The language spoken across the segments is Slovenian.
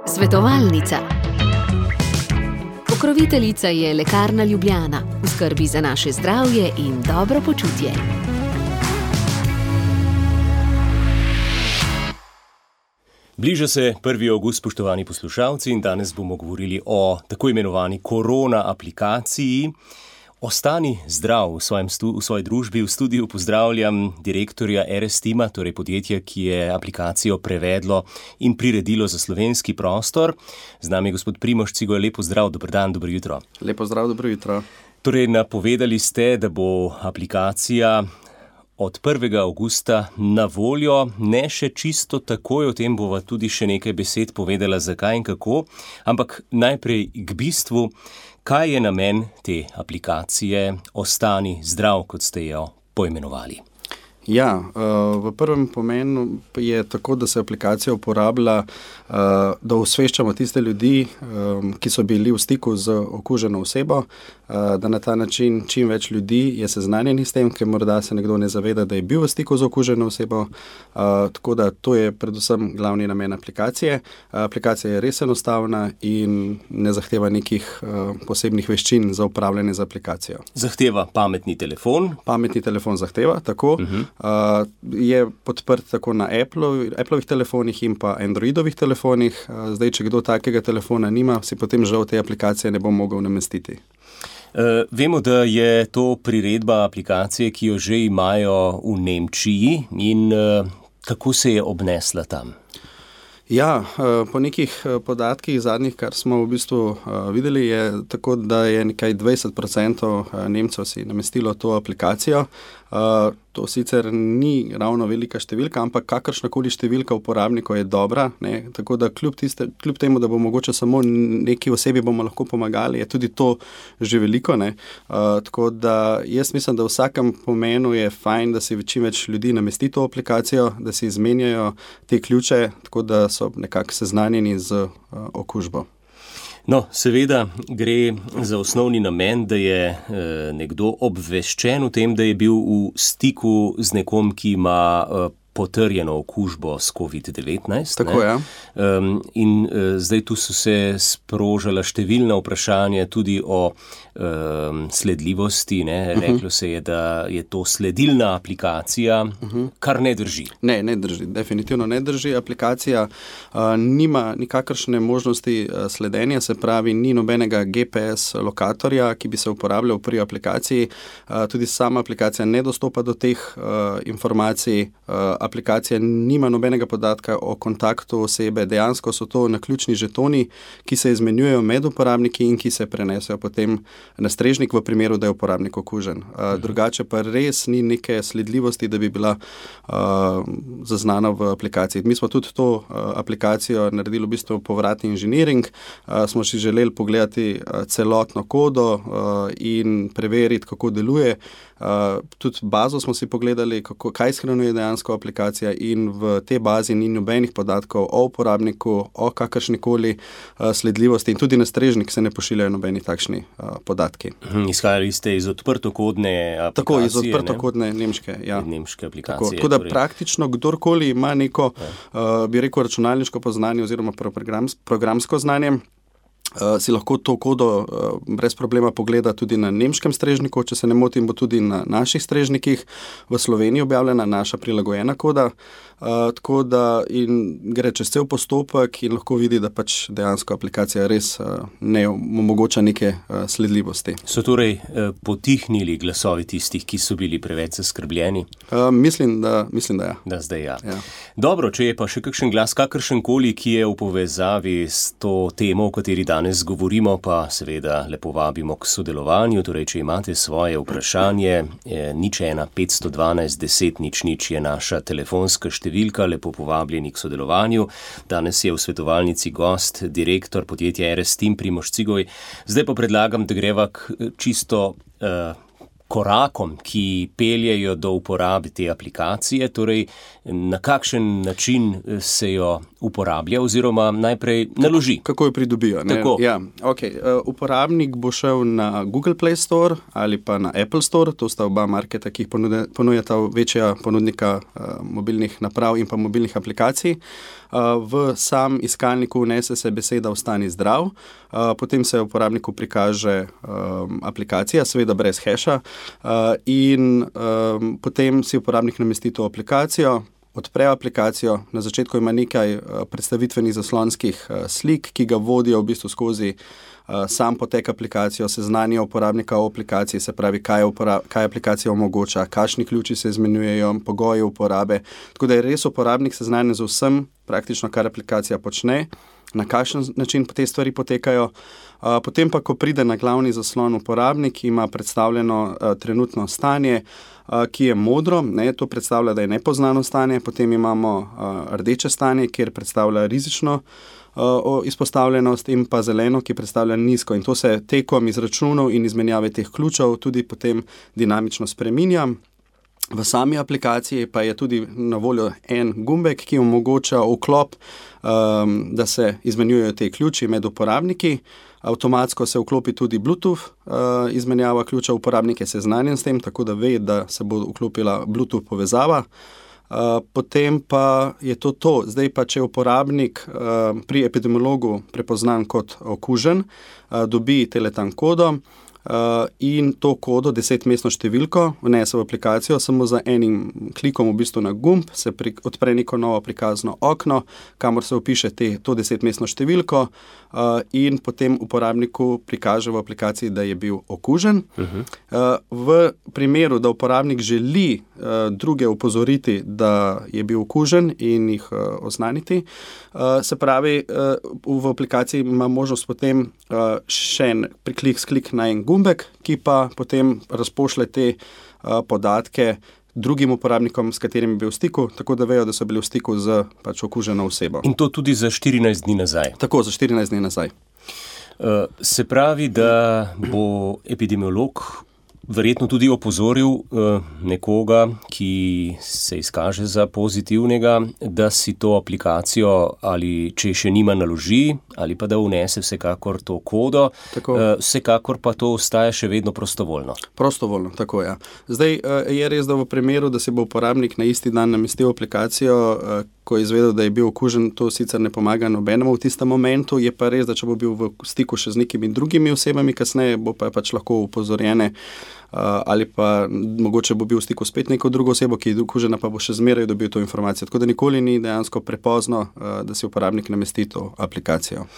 Svetovalnica. Pokroviteljica je Lekarna Ljubljana, v skrbi za naše zdravje in dobro počutje. Bliža se 1. avgust, spoštovani poslušalci, in danes bomo govorili o tako imenovani korona aplikaciji. Ostani zdrav v svoji družbi. V studiu pozdravljam direktorja RS-Tima, torej podjetja, ki je aplikacijo prevedlo in priredilo za slovenski prostor. Z nami je gospod Primož Cigoj. Lepo zdrav, dober dan, dobro jutro. Lepo zdrav, dobro jutro. Torej, napovedali ste, da bo aplikacija od 1. avgusta na voljo, ne še čisto takoj, o tem bova tudi še nekaj besed povedala, zakaj in kako, ampak najprej k bistvu, kaj je namen te aplikacije Ostani zdrav, kot ste jo poimenovali? Ja, v prvem pomenu je tako, da se aplikacija uporablja, da osveščamo tiste ljudi, ki so bili v stiku z okuženo osebo, da na ta način čim več ljudi je seznanjenih s tem, ker morda se nekdo ne zaveda, da je bil v stiku z okuženo osebo. Tako da to je predvsem glavni namen aplikacije. Aplikacija je res enostavna in ne zahteva nekih posebnih veščin za upravljanje z aplikacijo. Zahteva pametni telefon? Pametni telefon zahteva, tako. Je podprt tako na Applovih telefonih in pa Androidovih telefonih. Zdaj, če kdo takega telefona nima, si potem žal te aplikacije ne bo mogel namestiti. Vemo, da je to priredba aplikacije, ki jo že imajo v Nemčiji, in kako se je obnesla tam? Ja, po nekih podatkih zadnjih, kar smo v bistvu videli, je tako, da je nekaj 20% Nemcev si namestilo to aplikacijo. To sicer ni ravno velika številka, ampak kakršnakoli številka uporabnikov je dobra, ne? Tako da kljub temu, da bo mogoče samo neki osebi bomo lahko pomagali, je tudi to že veliko, ne? Tako da jaz mislim, da v vsakem pomenu je fajn, da si čim več ljudi namesti to aplikacijo, da si izmenjajo te ključe, tako da so nekako seznanjeni z okužbo. No, seveda gre za osnovni namen, da je nekdo obveščen o tem, da je bil v stiku z nekom, ki ima potrjeno okužbo s COVID-19. Tako, ja. In zdaj tu so se sprožala številna vprašanja tudi o sledljivosti. Reklo se je, da je to sledilna aplikacija, kar ne drži. Ne drži, definitivno ne drži. Aplikacija nima nikakršne možnosti sledenja, se pravi, ni nobenega GPS lokatorja, ki bi se uporabljal pri aplikaciji. Tudi sama aplikacija ne dostopa do teh informacij. Aplikacija nima nobenega podatka o kontaktu osebe. Dejansko so to naključni žetoni, ki se izmenjujejo med uporabniki in ki se prenesejo potem na strežnik v primeru, da je uporabnik okužen. Drugače pa res ni neke sledljivosti, da bi bila zaznana v aplikaciji. Mi smo tudi to aplikacijo naredili v bistvu povratni inženiring. Smo si želeli pogledati celotno kodo in preveriti, kako deluje. Tudi bazo smo si pogledali, kaj shranjuje dejansko aplikacija, in v tej bazi ni nobenih podatkov o uporabniku, o kakršnikoli sledljivosti, in tudi na strežnik se ne pošiljajo nobeni takšni podatki. Izhajali ste iz odprtokodne aplikacije? Tako, iz odprtokodne nemške, ja. Nemške aplikacije. Tako da praktično kdorkoli ima neko, bi rekel, računalniško poznanje oziroma programsko znanje, si lahko to kodo brez problema pogleda tudi na nemškem strežniku. Če se ne motim, bo tudi na naših strežnikih v Sloveniji objavljena naša prilagojena koda. Tako da in gre čez cel postopek in lahko vidi, da pač dejansko aplikacija res ne omogoča neke sledljivosti. So torej potihnili glasovi tistih, ki so bili preveč zaskrbljeni? Mislim, da ja. Da zdaj ja. Ja. Dobro, če je pa še kakšen glas, kakršenkoli, ki je v povezavi s to temo, o kateri danes govorimo, pa seveda lepo vabimo k sodelovanju. Torej, če imate svoje vprašanje, 01 512 10 00 je naša telefonska številka. Lepo povabljeni k sodelovanju. Danes je v svetovalnici gost, direktor podjetja RS-Tim, Primož Cigoj. Zdaj pa predlagam, da greva k čisto korakom, ki peljejo do uporabe te aplikacije, torej na kakšen način se jo uporablja oziroma najprej naloži. Kako jo pridobijo? Ja, okay. Uporabnik bo šel na Google Play Store ali pa na Apple Store, to sta oba marketa, ki jih ponujata večja ponudnika mobilnih naprav in pa mobilnih aplikacij. V sam iskalniku vnese se beseda Ostani zdrav, potem se uporabniku prikaže aplikacija, seveda brez heša, in potem si uporabnik namesti to aplikacijo, odpre aplikacijo, na začetku ima nekaj predstavitvenih zaslonskih slik, ki ga vodijo v bistvu skozi sam potek aplikacijo, seznanja uporabnika o aplikaciji, se pravi, kaj aplikacija omogoča, kakšni ključi se izmenjujejo, pogoji uporabe, tako da je res uporabnik seznanjen z vsem, praktično kar aplikacija počne, na kakšen način te stvari potekajo. Potem pa, ko pride na glavni zaslon uporabnik, ima predstavljeno trenutno stanje, ki je modro, to predstavlja, da je nepoznano stanje, potem imamo rdeče stanje, kjer predstavlja rizično izpostavljenost, in pa zeleno, ki predstavlja nizko, in to se tekom izračunov in izmenjave teh ključev tudi potem dinamično spreminja. V sami aplikaciji pa je tudi na voljo en gumbek, ki omogoča vklop, da se izmenjujejo te ključi med uporabniki. Avtomatsko se vklopi tudi Bluetooth izmenjava ključa, uporabnik je seznanjen s tem, tako da ve, da se bo vklopila Bluetooth povezava. Potem pa je to. Zdaj pa, če uporabnik pri epidemiologu prepoznan kot okužen, dobi teletan kodo in to kodo, 10-mestno številko, vnese v aplikacijo, samo za enim klikom v bistvu na gumb se odpre neko novo prikazno okno, kamor se vpiše to 10-mestno številko in potem uporabniku prikaže v aplikaciji, da je bil okužen. V primeru, da uporabnik želi druge opozoriti, da je bil okužen in jih oznaniti, se pravi, v aplikaciji ima možnost potem še en klik na en gumbek, ki pa potem razpošlje te podatke drugim uporabnikom, s katerimi je bil v stiku, tako da vejo, da so bili v stiku z okuženo osebo. In to tudi za 14 dni nazaj? Tako, za 14 dni nazaj. Se pravi, da bo epidemiolog verjetno tudi opozoril nekoga, ki se izkaže za pozitivnega, da si to aplikacijo ali če še nima naloži, ali pa da vnese vsekakor to kodo, vsekakor pa to ostaje še vedno prostovoljno. Prostovoljno, tako ja. Zdaj je res, da v primeru, da se bo uporabnik na isti dan namestil aplikacijo, ko je izvedel, da je bil okužen, to sicer ne pomaga nobenemu v tistem momentu, je pa res, da če bo bil v stiku še z nekimi drugimi osebami kasneje, bo pa pač lahko upozorjene, ali pa mogoče bo bil v stiku spet neko drugo osebo, ki je okužena, pa bo še zmeraj dobil to informacijo. Tako da nikoli ni dejansko prepozno, da si uporabnik namesti to aplikacijo.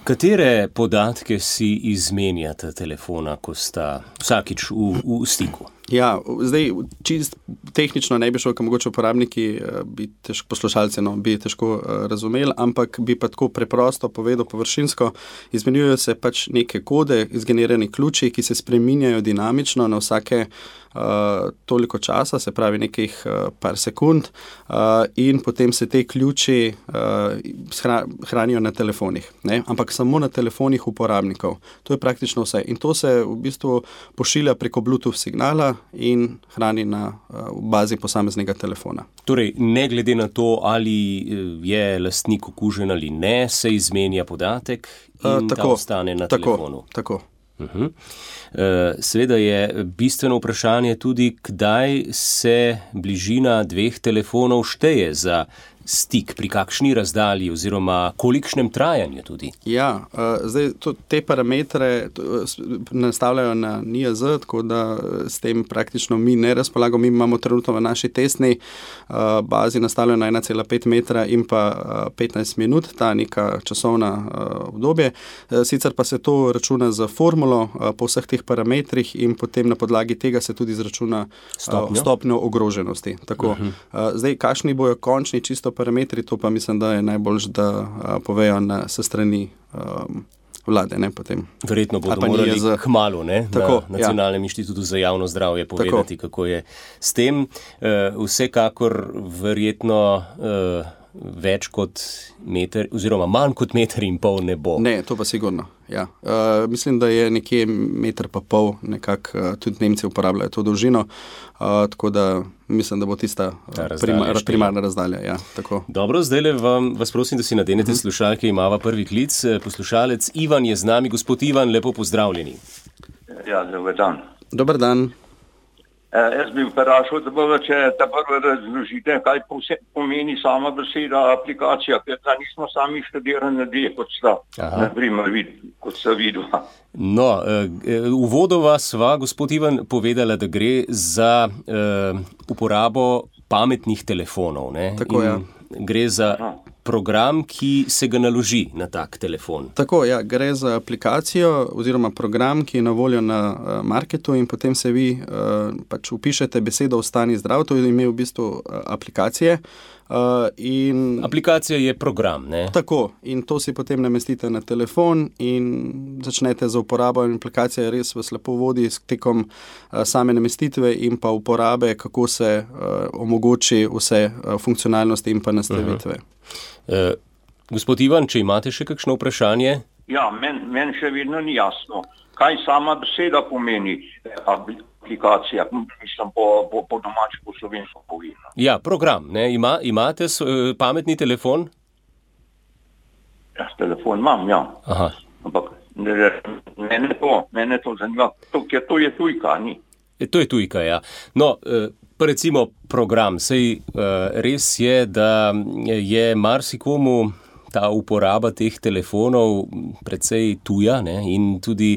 Katere podatke si izmenjata telefona, ko sta vsakič v stiku? Ja, zdaj čist tehnično ne bi šel, ker mogoče uporabniki poslušalci bi težko razumeli, ampak bi pa tako preprosto povedal površinsko, izmenjujejo se pač neke kode, izgenerani ključi, ki se spreminjajo dinamično na vsake toliko časa, se pravi nekih par sekund, in potem se te ključi hranijo na telefonih, ampak samo na telefonih uporabnikov. To je praktično vse. In to se v bistvu pošilja preko Bluetooth signala in hrani na bazi posameznega telefona. Torej, ne glede na to, ali je lastnik okužen ali ne, se izmenja podatek in ta ostane na telefonu. Tako. Seveda je bistveno vprašanje tudi, kdaj se bližina dveh telefonov šteje za stik, pri kakšni razdalji oziroma kolikšnem trajanju tudi. Ja, zdaj te parametre nastavljajo na NIJZ, tako da s tem praktično mi ne razpolagamo. Mi imamo trenutno v naši testni bazi nastavljeno 1,5 metra in pa 15 minut, ta neka časovna obdobje. Sicer pa se to računa za formulo po vseh teh parametrih in potem na podlagi tega se tudi izračuna stopnjo ogroženosti. Tako. Zdaj, kakšni bojo končni čisto parametri, to pa mislim, da je najboljš, da povejo se strani vlade, potem. Verjetno bodo morali kmalu, na Nacionalnem inštitutu za javno zdravje povedati, kako je s tem. Vsekakor verjetno več kot meter, oziroma manj kot 1,5 metra ne bo. Ne, to pa sigurno, ja. Mislim, da je nekje 1,5 metra, nekako tudi Nemci uporabljajo to dolžino, tako da mislim, da bo tista primarna razdalja. Ja, tako. Dobro, zdaj vas prosim, da si nadenete slušalke, imava prvi klic. Poslušalec Ivan je z nami. Gospod Ivan, lepo pozdravljeni. Ja, dober dan. Dober dan. Jaz bi vprašal, če ta prvo razložite, kaj pomeni sama beseda aplikacija, ker da nismo sami študirani ljudje, kot sta, naprimer, kot sta videla. No, uvodoma sva, gospod Ivan, povedala, da gre za uporabo pametnih telefonov. Ne? Tako, ja. Gre za program, ki se ga naloži na tak telefon. Tako, ja, gre za aplikacijo oziroma program, ki je na voljo na marketu in potem se vi pač vpišete besedo Ostani zdrav, to je ime v bistvu aplikacije. Aplikacija je program, ne? Tako, in to si potem namestite na telefon in začnete za uporabo in aplikacija res vas lepo vodi tekom same namestitve in pa uporabe, kako se omogoči vse funkcionalnosti in pa nastavitve. Gospod Ivan, če imate še kakšno vprašanje? Ja, meni še vedno ni jasno, kaj sama beseda pomeni aplikacija, mislim po domači, po slovensko povedano. Ja, program, ne? Imate pametni telefon? Ja, telefon imam, ja. Aha. Ampak mene to zanima, ker to je tujka, ni? To je tujka, ja. No, pa recimo program, sej res je, da je marsikomu ta uporaba teh telefonov precej tuja, ne? In tudi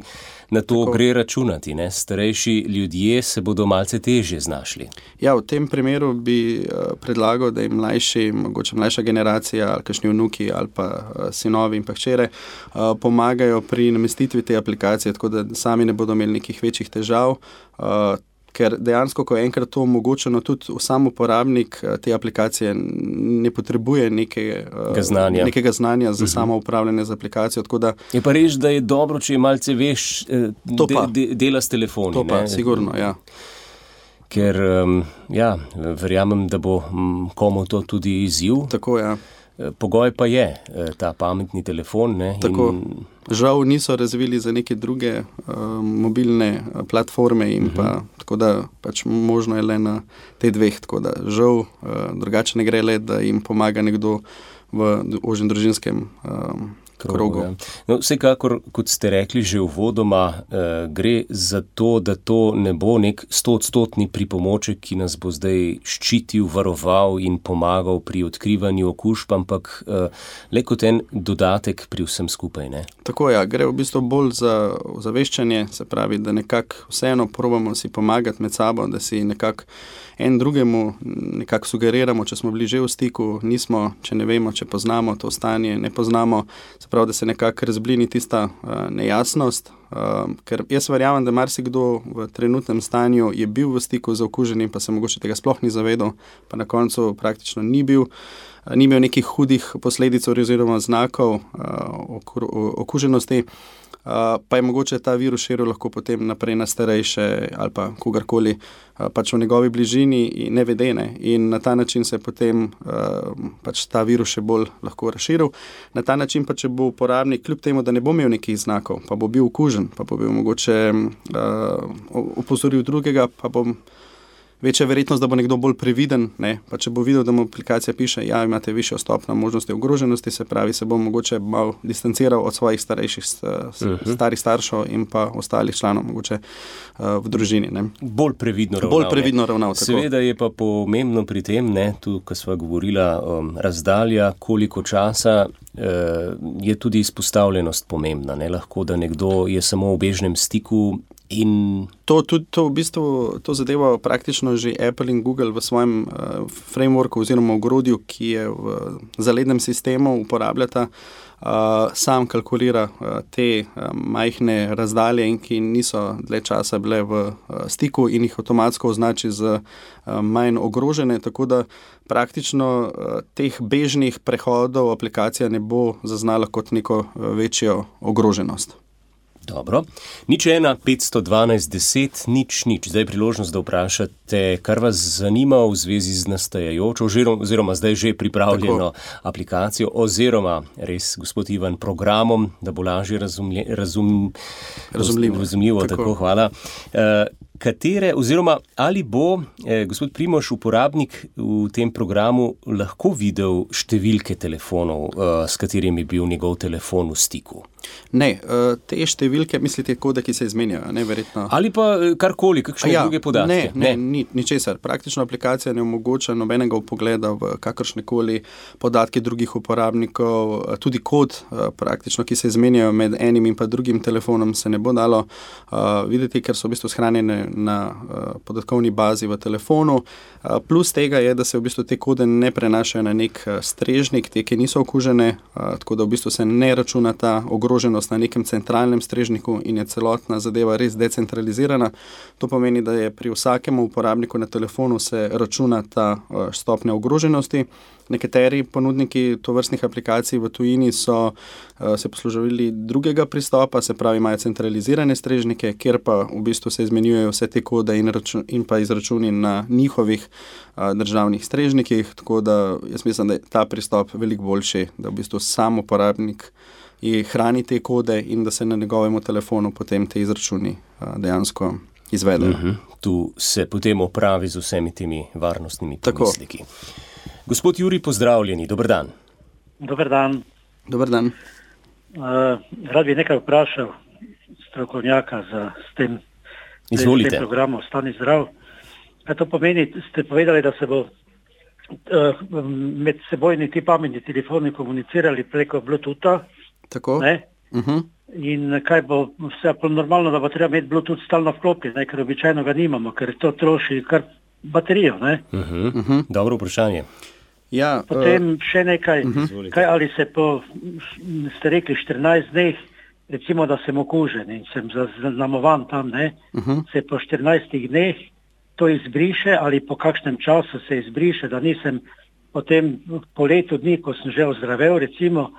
na to gre računati. Ne? Starejši ljudje se bodo malce težje znašli. Ja, v tem primeru bi predlagal, da jim mogoče mlajša generacija ali kakšni vnuki ali pa sinovi in pa hčere pomagajo pri namestitvi te aplikacije, tako da sami ne bodo imeli nekih večjih težav, ker dejansko, ko je enkrat to omogočeno, tudi sam uporabnik te aplikacije ne potrebuje nekega znanja za samo upravljanje z aplikacijo. Je pa res, da je dobro, če malce veš dela s telefoni. To pa, sigurno, ja. Ker, verjamem, da bo komu to tudi izziv. Tako, ja. Pogoj pa je ta pametni telefon. Ne? Tako. Žal niso razvili za neke druge mobilne platforme in pa tako da pač možno je le na te dveh, tako da žal drugače ne gre le, da jim pomaga nekdo v ožjem družinskem krogu. Ja. No, vsekakor, kot ste rekli že uvodoma, gre za to, da to ne bo nek 100% pripomoček, ki nas bo zdaj ščitil, varoval in pomagal pri odkrivanju okužb, ampak le kot en dodatek pri vsem skupaj. Ne? Tako, ja, gre v bistvu bolj za ozaveščanje, se pravi, da nekako vseeno probamo si pomagati med sabo, da si nekako en drugemu nekako sugeriramo, če smo bili že v stiku, nismo, če ne vemo, če poznamo to stanje, ne poznamo, se pravi, da se nekako razblini tista nejasnost, ker jaz verjamem, da marsikdo v trenutnem stanju je bil v stiku z okuženim, pa se mogoče tega sploh ni zavedal, pa na koncu praktično ni imel nekih hudih posledic oziroma znakov okuženosti, pa je mogoče ta virus širil lahko potem naprej na starejše ali pa kogarkoli pač v njegovi bližini nevedene in na ta način se potem pač ta virus še bolj lahko razširil. Na ta način pa, če bo uporabnik kljub temu, da ne bo imel nekih znakov, pa bo bil okužen, pa bo bil mogoče opozoril drugega, pa bo večja verjetnost, da bo nekdo bolj previden, ne? Pa če bo videl, da mu aplikacija piše, ja, imate višjo stopnjo možnosti ogroženosti, se pravi, se bo mogoče malo distanciral od svojih starejših starih staršev in pa ostalih članov mogoče v družini. Ne? Bolj previdno ravnal. Seveda je pa pomembno pri tem, ne, tu, ko sva govorila, razdalja, koliko časa je tudi izpostavljenost pomembna. Ne? Lahko, da nekdo je samo v bežnem stiku in To v bistvu to zadeva praktično že Apple in Google v svojem frameworku oziroma ogrodju, ki je v zalednem sistemu uporabljata, sam kalkulira te majhne razdalje in ki niso dlje časa bile v stiku in jih avtomatsko označi z manj ogrožene, tako da praktično teh bežnih prehodov aplikacija ne bo zaznala kot neko večjo ogroženost. Dobro. 01512 10 00. Zdaj je priložnost, da vprašate, kar vas zanima v zvezi z nastajajočo oziroma zdaj že pripravljeno aplikacijo oziroma res, gospod Ivan, programom, da bo lažje razumljivo. Tako, hvala. Katere oziroma ali bo gospod Primož, uporabnik v tem programu lahko videl številke telefonov, s katerimi je bil njegov telefon v stiku? Ne, te številke, mislite kode, ki se izmenjajo, ne, verjetno. Ali pa karkoli, kakšne druge podatke? Ne, ničesar. Praktično aplikacija ne omogoča nobenega vpogleda v kakršnekoli podatke drugih uporabnikov, tudi kod praktično, ki se izmenjajo med enim in pa drugim telefonom, se ne bo dalo videti, ker so v bistvu shranjene na podatkovni bazi v telefonu. Plus tega je, da se v bistvu te kode ne prenašajo na nek strežnik, te, ki niso okužene, tako da v bistvu se ne računa ta ogroženost na nekem centralnem strežniku in je celotna zadeva res decentralizirana. To pomeni, da je pri vsakem uporabniku na telefonu se računa ta stopnja ogroženosti. Nekateri ponudniki tovrstnih aplikacij v tujini so se poslužili drugega pristopa, se pravi imajo centralizirane strežnike, kjer pa v bistvu se izmenjujejo vse te kode in pa izračuni na njihovih državnih strežnikih, tako da jaz mislim, da je ta pristop veliko boljši, da v bistvu sam uporabnik hrani te kode in da se na njegovemu telefonu potem te izračuni dejansko izvedejo. Tu se potem opravi z vsemi temi varnostnimi pomisleki. Gospod Jurij, pozdravljeni, dober dan. Dober dan. Dober dan. Rad bi nekaj vprašal strokovnjaka s tem programom Ostani zdrav. To pomeni, ste povedali, da se bo med sebojni ti pametni telefoni komunicirali preko Bluetootha. Tako. In kaj bo vse normalno, da bo treba imeti Bluetooth stalno vklopljen, ker običajno ga nimamo, ker to troši kar baterijo, ne? Dobro vprašanje. Ja, potem še nekaj, kaj ali se ste rekli 14 dneh, recimo, da sem okužen in sem zaznamovan tam, ne? Se po 14 dneh to izbriše ali po kakšnem času se izbriše, da nisem potem po letu dni, ko sem že ozdravel, recimo,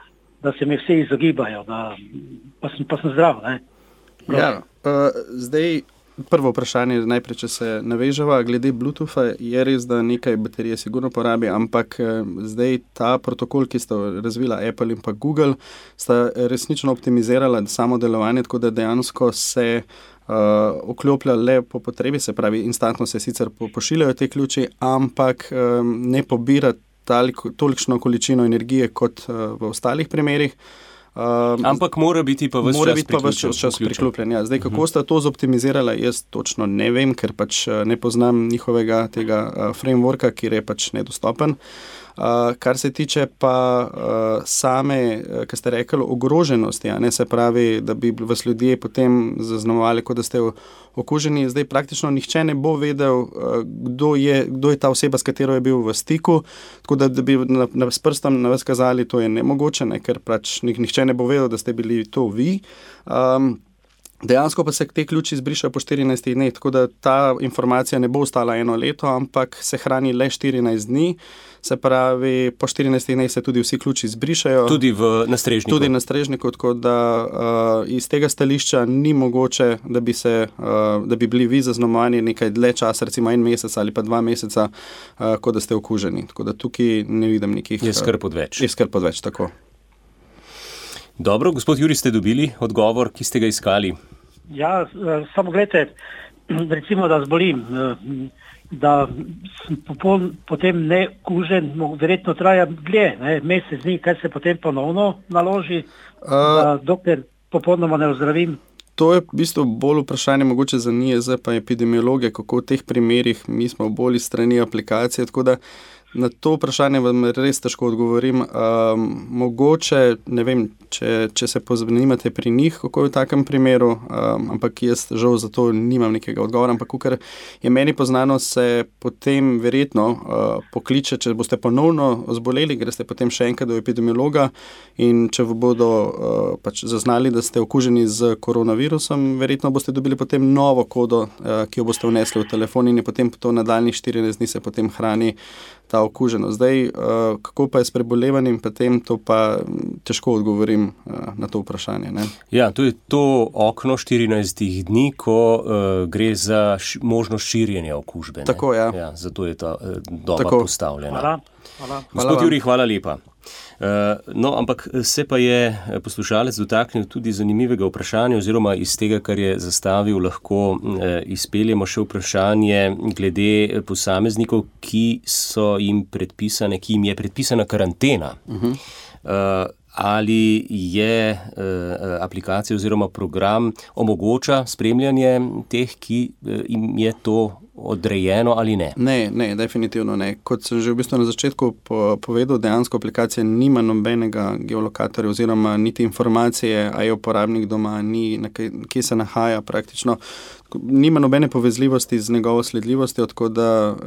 da se mi vse izogibajo, pa sem zdrav, ne? Ja, zdaj prvo vprašanje, najprej, če se naveževa, glede Bluetootha, je res, da nekaj baterije sigurno porabi, ampak zdaj ta protokol, ki sta razvila Apple in pa Google, sta resnično optimizirala samo delovanje, tako da dejansko se vkloplja le po potrebi, se pravi, instantno se sicer pošiljajo te ključi, ampak ne pobira tolikšno količino energije kot v ostalih primerih. Ampak mora biti pa ves čas priklopljen. Ja. Zdaj, kako sta to zoptimizirala, jaz točno ne vem, ker pač ne poznam njihovega tega frameworka, ki je pač nedostopen. Kar se tiče pa same, kar ste rekli, ogroženosti, ne, se pravi, da bi vas ljudje potem zaznamovali, kot da ste okuženi. Zdaj praktično nihče ne bo vedel, kdo je ta oseba, s katero je bil v stiku, tako da bi s prstom na vas kazali, to je nemogoče, ne, ker pač nihče ne bo vedel, da ste bili to vi. Dejansko pa se te ključi izbrišajo po 14 dneh, tako da ta informacija ne bo ostala 1 leto, ampak se hrani le 14 dni. Se pravi, po 14 dneh se tudi vsi ključi izbrišajo. Tudi na strežniku. Tudi na strežniku, tako da iz tega stališča ni mogoče, da bi bili vi zaznamovani nekaj dlje časa, recimo 1 mesec ali pa 2 meseca, kot da ste okuženi. Tako da tukaj ne vidim nekih... Je skrb odveč. Je skrb odveč, tako. Dobro, gospod Jurij, ste dobili odgovor, ki ste ga iskali? Ja, samo gledajte, recimo, da zbolim, da sem potem ne kužen, verjetno traja dlje, mesec dni, kaj se potem ponovno naloži, dokler popolnoma ne ozdravim. To je v bistvu bolj vprašanje mogoče za NIJZ pa epidemiologe, kako v teh primerih mi smo bolj iz strani aplikacije, tako da na to vprašanje vam res težko odgovorim. Mogoče, ne vem, če se pozanimate pri njih, kako je v takem primeru, ampak jaz žal za to nimam nekega odgovora, ampak kakor je meni poznano, se potem verjetno pokliče, če boste ponovno zboleli, greste potem še enkrat do epidemiologa in če bodo pač zaznali, da ste okuženi z koronavirusom, verjetno boste dobili potem novo kodo, ki jo boste vnesli v telefon in je potem to nadaljnjih 14 dni se potem hrani ta okuženost. Zdaj, kako pa je s prebolevanjem, potem to pa težko odgovorim na to vprašanje. Ne? Ja, to je to okno 14 dni, ko gre za možnost širjenja okužbe. Ne? Tako, ja. Ja, zato je ta doba postavljena. Hvala. Gospod Jurij, hvala lepa. No, ampak se pa je poslušalec dotaknil tudi zanimivega vprašanja oziroma iz tega, kar je zastavil, lahko izpeljemo še vprašanje glede posameznikov, ki jim je predpisana karantena. Ali je aplikacija oziroma program omogoča spremljanje teh, ki jim je to odrejeno ali ne? Ne, definitivno ne. Kot sem že v bistvu na začetku povedal, dejansko aplikacija nima nobenega geolokatorja oziroma niti informacije, a je uporabnik doma, kje se nahaja praktično. Nima nobene povezljivosti z njegovo sledljivostjo,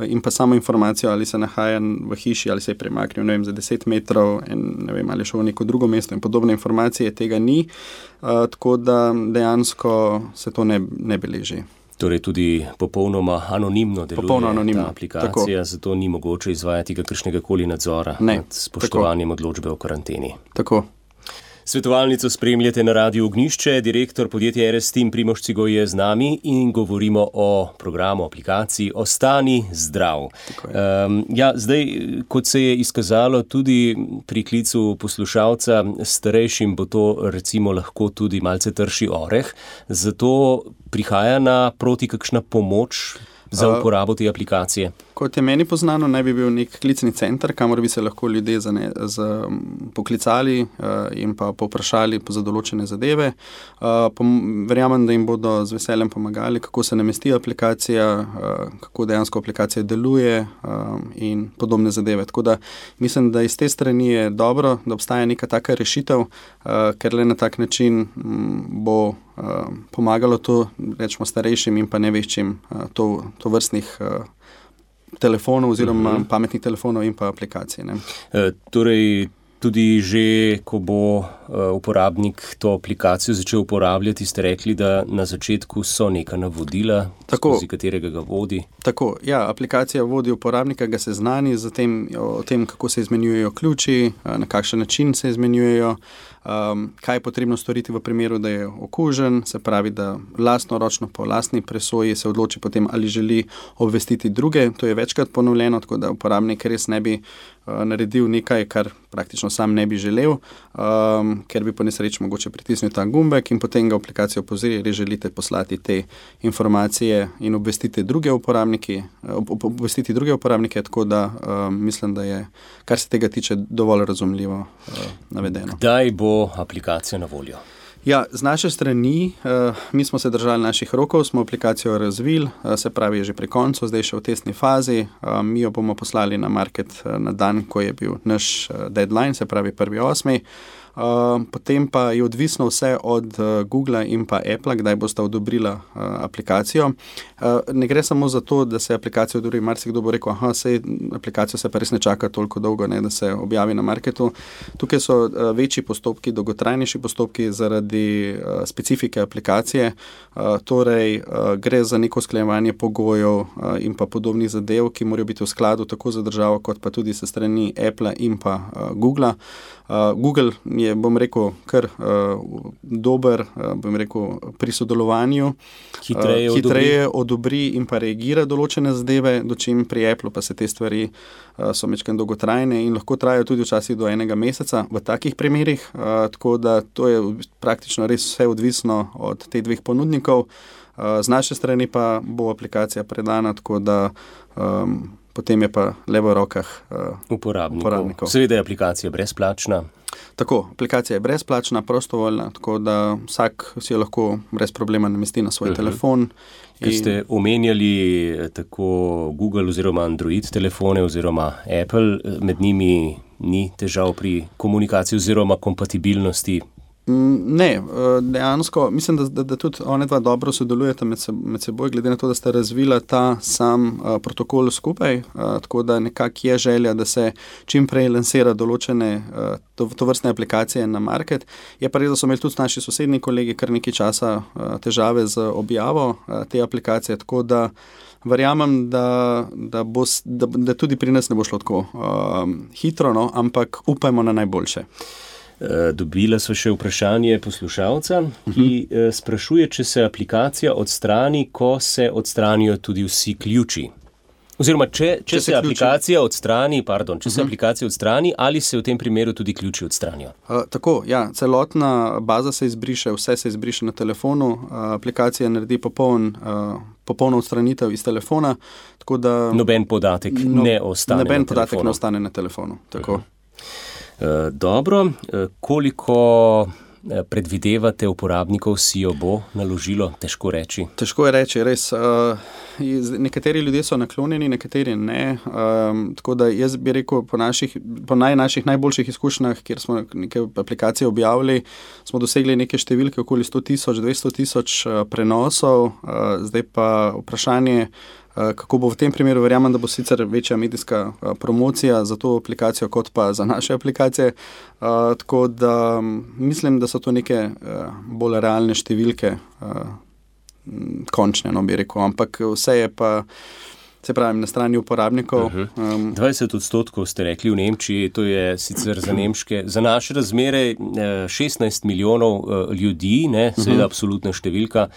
in pa samo informacijo, ali se nahaja v hiši, ali se je premaknil, za 10 metrov, ali šel v neko drugo mesto in podobne informacije, tega ni, tako da dejansko se to ne beleži. Torej tudi popolnoma anonimno deluje ta aplikacija, zato ni mogoče izvajati kakršnega koli nadzora nad spoštovanjem odločbe o karanteni. Tako. Svetovalnico spremljate na Radiu Ognjišče, direktor podjetja RS Team Primož Cigoj je z nami in govorimo o programu, aplikaciji Ostani zdrav. Zdaj, kot se je izkazalo tudi pri klicu poslušalca, starejšim bo to recimo lahko tudi malce trši oreh, zato prihaja naproti kakšna pomoč za uporabo te aplikacije? Kot je meni poznano, naj bi bil nek klicni center, kamor bi se lahko ljudje poklicali in pa povprašali za določene zadeve. Verjamem, da jim bodo z veseljem pomagali, kako se namesti aplikacija, kako dejansko aplikacija deluje in podobne zadeve. Tako da mislim, da iz te strani je dobro, da obstaja neka taka rešitev, ker le na tak način bo pomagalo to, rečemo, starejšim in pa neveščim to vrstnih telefonov oziroma pametnih telefonov in pa aplikacij. Torej, tudi že, ko bo uporabnik to aplikacijo začel uporabljati, ste rekli, da na začetku so neka navodila, skozi katerega ga vodi. Tako, ja, aplikacija vodi uporabnika, ga seznani o tem, kako se izmenjujejo ključi, na kakšen način se izmenjujejo, kaj je potrebno storiti v primeru, da je okužen, se pravi, da lastnoročno po lastni presoji se odloči potem, ali želi obvestiti druge. To je večkrat ponovljeno, tako da uporabnik res ne bi naredil nekaj, kar praktično sam ne bi želel, ker bi po nesreči mogoče pritisnil ta gumbek in potem ga aplikacija opozori, ali želite poslati te informacije in obvestiti druge uporabnike, tako da mislim, da je, kar se tega tiče, dovolj razumljivo navedeno. Kdaj bo aplikacija na voljo? Ja, z naše strani, mi smo se držali naših rokov, smo aplikacijo razvili, se pravi, je že pri koncu, zdaj še v testni fazi. Mi jo bomo poslali na market na dan, ko je bil naš deadline, se pravi 1.8. Potem pa je odvisno vse od Google in pa Apple, kdaj bosta odobrila aplikacijo. Ne gre samo za to, da se aplikacija odobri, marsikdo bo rekel, aplikacijo se pa res ne čaka toliko dolgo, da se objavi na marketu. Tukaj so večji postopki, dolgotrajnejši postopki zaradi specifike aplikacije, torej gre za neko usklajevanje pogojev in pa podobnih zadev, ki morajo biti v skladu tako za državo, kot pa tudi se strani Apple in pa Google. Google je, bom rekel, kar dober, pri sodelovanju, hitreje odobri in pa reagira določene zadeve, dočim pri Apple pa se te stvari so majčkeno dolgotrajne in lahko trajajo tudi včasih do 1 meseca v takih primerih, tako da to je praktično res vse odvisno od teh dveh ponudnikov. Z naše strani pa bo aplikacija predana, tako da potem je pa le v rokah uporabnikov. Seveda je aplikacija brezplačna. Tako, aplikacija je brezplačna, prostovoljna, tako da vsak si jo lahko brez problema namesti na svoj telefon. Ker ste omenjali tako Google oziroma Android telefone oziroma Apple, med njimi ni težav pri komunikaciji oziroma kompatibilnosti? Ne, dejansko mislim, da tudi one dva dobro sodelujeta med seboj, glede na to, da sta razvila ta sam protokol skupaj, tako da nekako je želja, da se čim prej lansira določene tovrstne aplikacije na market. Je pa res, da so imeli tudi naši sosednji kolegi kar nekaj časa težave z objavo te aplikacije, tako da verjamem, da tudi pri nas ne bo šlo tako hitro, no, ampak upajmo na najboljše. Dobila sva še vprašanje poslušalca, ki sprašuje, če se aplikacija odstrani, ko se odstranijo tudi vsi ključi. Oziroma, če se aplikacija odstrani, ali se v tem primeru tudi ključi odstranijo? Tako, ja, celotna baza se izbriše, vse se izbriše na telefonu, aplikacija naredi popolno odstranitev iz telefona, tako da... Noben podatek ne ostane na telefonu. Noben podatek ne ostane na telefonu, tako. Dobro, koliko predvidevate uporabnikov si jo bo naložilo? Težko reči. Težko je reči, res. Nekateri ljudje so naklonjeni, nekateri ne. Tako da jaz bi rekel, po naših najboljših izkušnjah, kjer smo neke aplikacije objavili, smo dosegli neke številke okoli 100,000, 200,000 prenosov. Zdaj pa vprašanje, kako bo v tem primeru, verjamem, da bo sicer večja medijska promocija za to aplikacijo, kot pa za naše aplikacije. Tako da mislim, da so to neke bolj realne številke, končne, no bi rekel, ampak vse je pa, se pravi, na strani uporabnikov. 20% ste rekli v Nemčiji, to je sicer za naše razmere 16 milijonov ljudi, ne, seveda absolutna številka,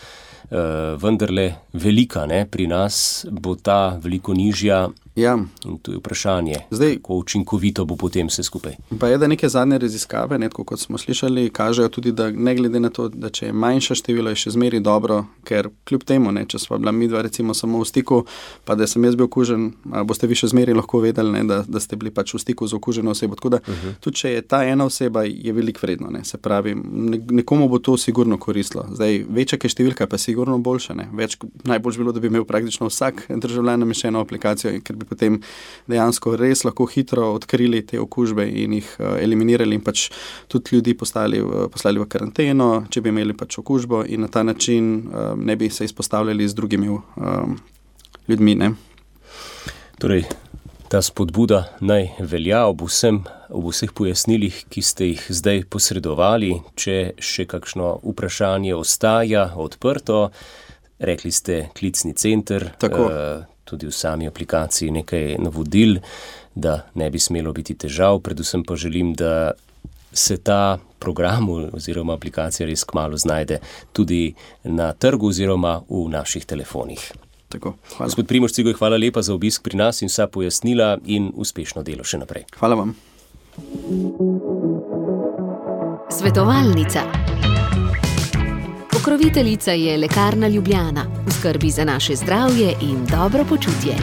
vendarle velika, ne, pri nas bo ta veliko nižja. Ja. In to je vprašanje, kako učinkovito bo potem vse skupaj. Pa je, da neke zadnje raziskave, kot smo slišali, kažejo tudi, da ne glede na to, da če je manjša število, je še zmeri dobro, ker kljub temu, ne, če sva bila midva recimo samo v stiku, pa da sem jaz bil okužen, boste vi še zmeri lahko vedeli, ne, da ste bili pač v stiku z okuženo osebo. Tako da tudi, če je ta ena oseba, je veliko vredno, ne, se pravi, nekomu bo to sigurno koristilo. Zdaj, večja je številka, pa sigurno boljša, ne. Najboljše bilo, da bi imel praktično vsak državljan nameščeno aplikacijo, ker bi potem dejansko res lahko hitro odkrili te okužbe in jih eliminirali in pač tudi ljudi poslali v karanteno, če bi imeli pač okužbo in na ta način ne bi se izpostavljali z drugimi ljudmi, ne. Torej, ta spodbuda naj velja ob vseh pojasnilih, ki ste jih zdaj posredovali. Če še kakšno vprašanje ostaja odprto, rekli ste klicni center, tudi v sami aplikaciji nekaj navodil, da ne bi smelo biti težav. Predvsem pa želim, da se ta program oziroma aplikacija res kmalu znajde tudi na trgu oziroma v naših telefonih. Tako, hvala. Gospod Primož Cigoj, hvala lepa za obisk pri nas in vsa pojasnila in uspešno delo še naprej. Hvala vam. Svetovalnica. Pokroviteljica je Lekarna Ljubljana, v skrbi za naše zdravje in dobro počutje.